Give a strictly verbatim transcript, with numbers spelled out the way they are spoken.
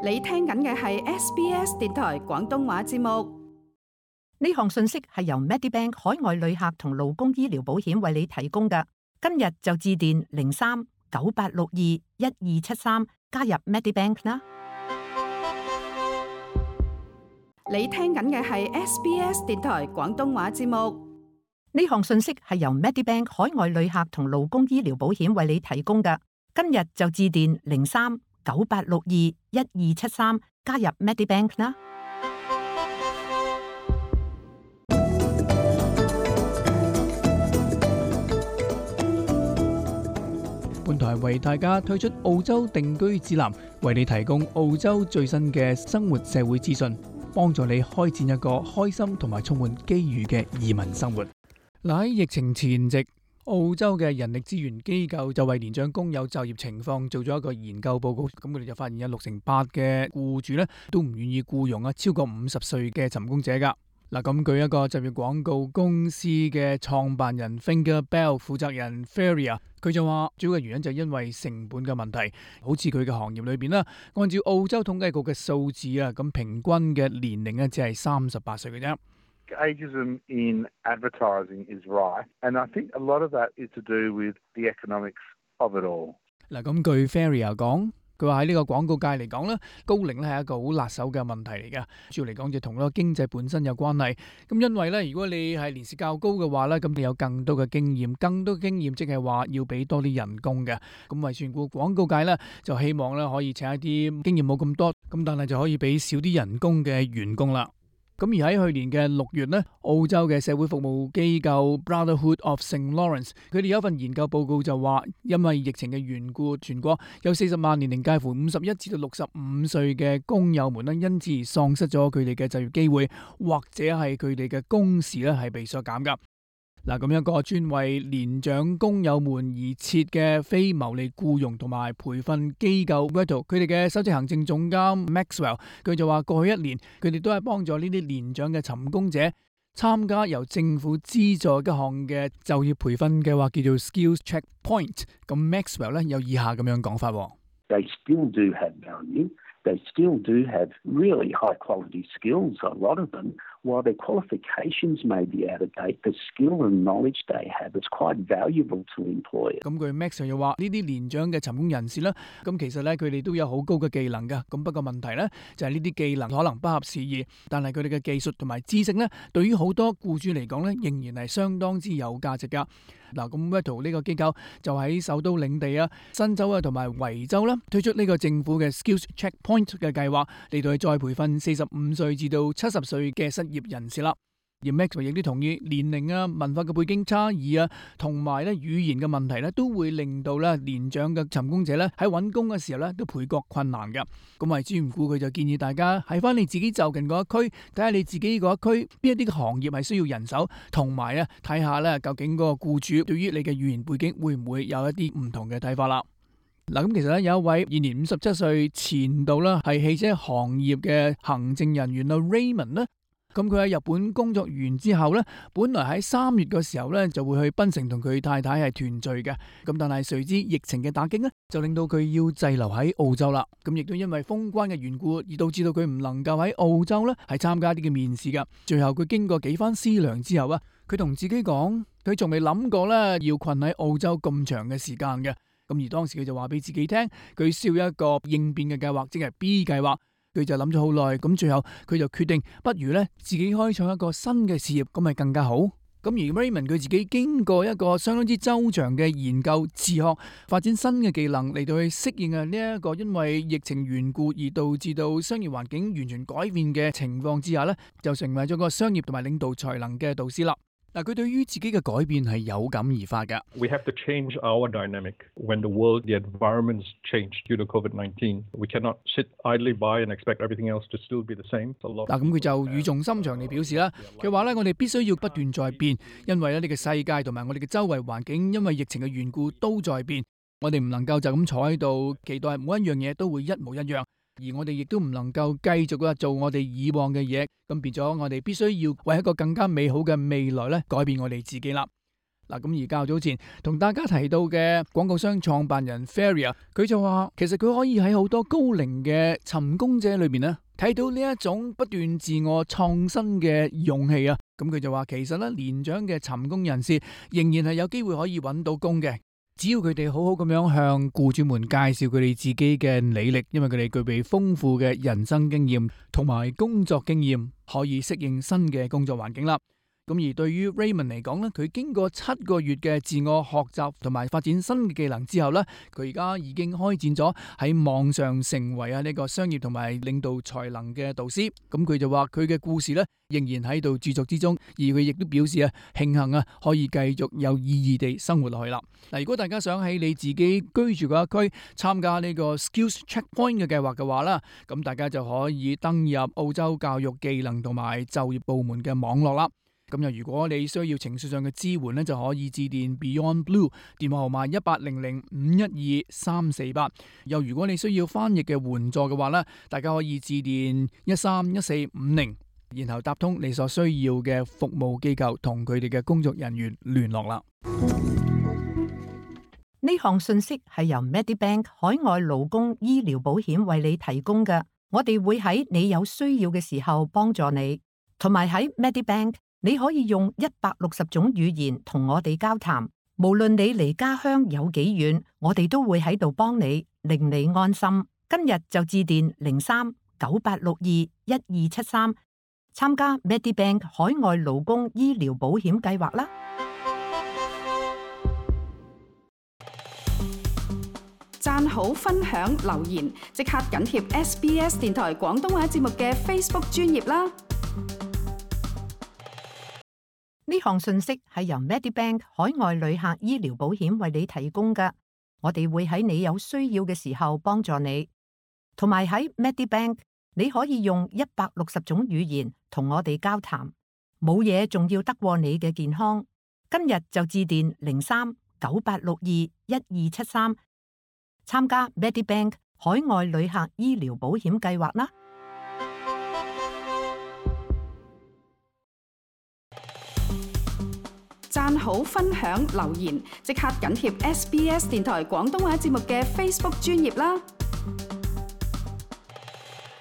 你聽緊嘅係 S B S 電台廣東話節目。呢項信息係由 Medibank 海外旅客同勞工醫療保險為你提供嘅。今日就致電零三九八六二一二七三加入 Medibank 啦。你聽緊嘅係 S B S 電台廣東話節目。呢項信息係由 Medibank 海外旅客同勞工醫療保險為你提供嘅。今日就致電零三九八六二一二七三加入 Medibank 啦。本台為大家推出澳洲定居指南，為你提供澳洲最新嘅生活社會資訊，幫助你開展一個開心同埋充滿機遇嘅移民生活。嗱，喺疫情前夕，澳洲嘅人力資源機構就為年長工友就業情況做咗一個研究報告，咁佢哋就發現有六成八嘅僱主咧都唔願意僱傭啊超過五十歲嘅尋工者噶。嗱，咁據一個就業廣告公司嘅創辦人 Finger Bell 負責人 Feria， 佢就話主要嘅原因就係因為成本嘅問題。好似佢嘅行業裏邊啦，按照澳洲統計局嘅數字啊，咁平均嘅年齡咧只係三十八歲嘅啫。Ageism in advertising is right, and I think a lot of that is to do with the economics of it all. 嗱，咁據 Feria 講，佢話喺呢個廣告界嚟講咧，高齡咧係一個好辣手嘅問題嚟嘅。主要嚟講就同嗰個經濟本身有關係。咁因為咧，如果你係年事較高嘅話咧，咁你有更多嘅經驗，更多經驗即係話要俾多啲人工嘅。咁為算顧廣告界咧，就希望咧可以請一啲經驗冇咁多，咁但係就可以俾少啲人工嘅員工啦。咁而喺去年嘅六月呢，澳洲嘅社會服務機構 Brotherhood of Saint Lawrence， 佢哋有一份研究報告就話，因為疫情嘅緣故，全國有四十萬年齡介乎五十一至到六十五歲嘅工友們呢，因此而喪失咗佢哋嘅就業機會，或者係佢哋嘅工時咧係被削減噶。嗱，咁一個專為年長工友們而設嘅非牟利僱傭同埋培訓機構 Vettle， 佢哋嘅首席行政總監 Maxwell， 佢就話過去一年佢哋都係幫助呢啲年長嘅尋工者參加由政府資助一項嘅就業培訓計劃，叫做 Skills Checkpoint。咁 Maxwell 咧有以下咁樣講法。They still do have value. They still do have really high quality skills, a lot of them. While their qualifications may be out of date, the skill and knowledge they have is quite valuable to employers. 咁據 Max 又話呢啲年長嘅尋工人士咧，咁其實咧佢哋都有好高嘅技能噶。咁不過問題咧就係呢啲技能可能不合時宜，但係佢哋嘅技術同埋知識咧，對於好多僱主嚟講咧，仍然係相當之有價值噶。嗱，咁 Vettle 呢個機構就喺首都領地啊、新州啊同埋維州啦，推出呢個政府嘅 Skills Checkpoint 嘅計劃，嚟到去再培訓四十五歲至到七十歲嘅失業人士啦。而 Max 亦都同意年齡啊、文化嘅背景差異啊，同埋咧語言嘅問題咧，都會令到咧年長嘅尋工者咧喺揾工嘅時候咧都倍覺困難嘅。咁為之唔顧，佢就建議大家喺翻你自己就近嗰一區，睇下你自己嗰一區邊一啲嘅行業係需要人手，同埋咧睇下咧究竟嗰個僱主對於你嘅語言背景會唔會有一啲唔同嘅睇法啦。嗱，咁其實咧有一位現年五十七歲前度啦係汽車行業嘅行政人員啊 Raymond 咧。咁佢喺日本工作完之後呢，本來喺三月嘅時候呢就會去檳城同佢太太係團聚嘅。咁但係隨之疫情嘅打擊呢，就令到佢要滯留喺澳洲啦。咁亦都因為封關嘅緣故，而導致到佢唔能夠喺澳洲呢係參加啲嘅面試噶。最後佢經過幾番思量之後啊，佢同自己講，佢仲未諗過呢要困喺澳洲咁長嘅時間嘅。咁而當時佢就話俾自己聽，佢需要一個應變嘅計劃，即係 B 計劃。佢就諗咗好耐，咁最後佢就決定，不如咧自己開創一個新嘅事業，咁咪更加好。咁而 Raymond 佢自己經過一個相當之周詳嘅研究、自學、發展新嘅技能嚟到去適應啊呢一個因為疫情緣故而導致到商業環境完全改變嘅情況之下咧，就成為咗個商業同埋領導才能嘅導師啦。嗱，佢對於自己嘅改變係有感而發㗎。We have to change our dynamic when the world, the environments change due to COVID nineteen. We cannot sit idly by and expect everything else to still be the same. 嗱，咁佢就語重心長地表示啦，佢話咧，我哋必須要不斷在變，因為咧呢個世界同埋我哋嘅周圍環境，因為疫情嘅緣故都在變。我哋唔能夠就咁坐喺度，期待每一樣嘢都會一模一樣。而我哋亦都唔能夠繼續啊做我哋以往嘅嘢，咁變咗我哋必須要為一個更加美好嘅未來咧改變我哋自己啦。嗱，咁而較早前同大家提到嘅廣告商創辦人 Faria， 佢就話其實佢可以喺好多高齡嘅尋工者裏邊咧睇到呢一種不斷自我創新嘅勇氣啊。咁佢就話其實咧年長嘅尋工人士仍然係有機會可以揾到工嘅，只要佢哋好好咁樣向僱主們介紹佢哋自己嘅履歷，因為佢哋具備豐富嘅人生經驗同埋工作經驗，可以適應新嘅工作環境啦。咁而對於 Raymond 嚟講咧，佢經過七個月嘅自我學習同埋發展新嘅技能之後咧，佢而家已經開展咗喺網上成為啊呢個商業同埋領導才能嘅導師。咁佢就話佢嘅故事咧仍然喺度著作之中，而佢亦都表示啊慶幸啊可以繼續有意義地生活落去啦。嗱，如果大家想喺你自己居住嗰一區參加呢個 Skills Checkpoint 嘅計劃嘅話啦，咁大家就可以登入澳洲教育技能同埋就業部門嘅網絡啦。咁又如果你需要情緒上嘅支援咧，就可以致電 Beyond Blue 電話號碼一八零零五一二三四八。又如果你需要翻譯嘅援助嘅話咧，大家可以致電一三一四五零，然後搭通你所需要嘅服務機構，同佢哋嘅工作人員聯絡啦。呢項信息係由 Medibank 海外勞工醫療保險為你提供嘅，我哋會喺你有需要嘅時候幫助你，同埋喺 Medibank。你可以用一百六十種語言同我哋交談，無論你離家鄉有幾遠，我哋都會喺度幫你，令你安心。今日就致電零三九八六二一二七三，參加 Medibank 海外勞工醫療保險計劃啦。讚好、分享、留言，即刻緊貼 S B S 電台廣東話節目嘅 Facebook 專頁啦。呢項信息係由 Medibank 海外旅客醫療保險為你提供嘅，我哋會喺你有需要嘅時候幫助你，同埋喺 Medibank 你可以用一百六十種語言同我哋交談，冇嘢仲要得過你嘅健康。今日就致電零三九八六二一二七三，參加 Medibank 海外旅客醫療保險計劃啦。讚好、分享、留言，即刻緊貼 S B S 電台廣東話節目嘅 Facebook 專頁啦。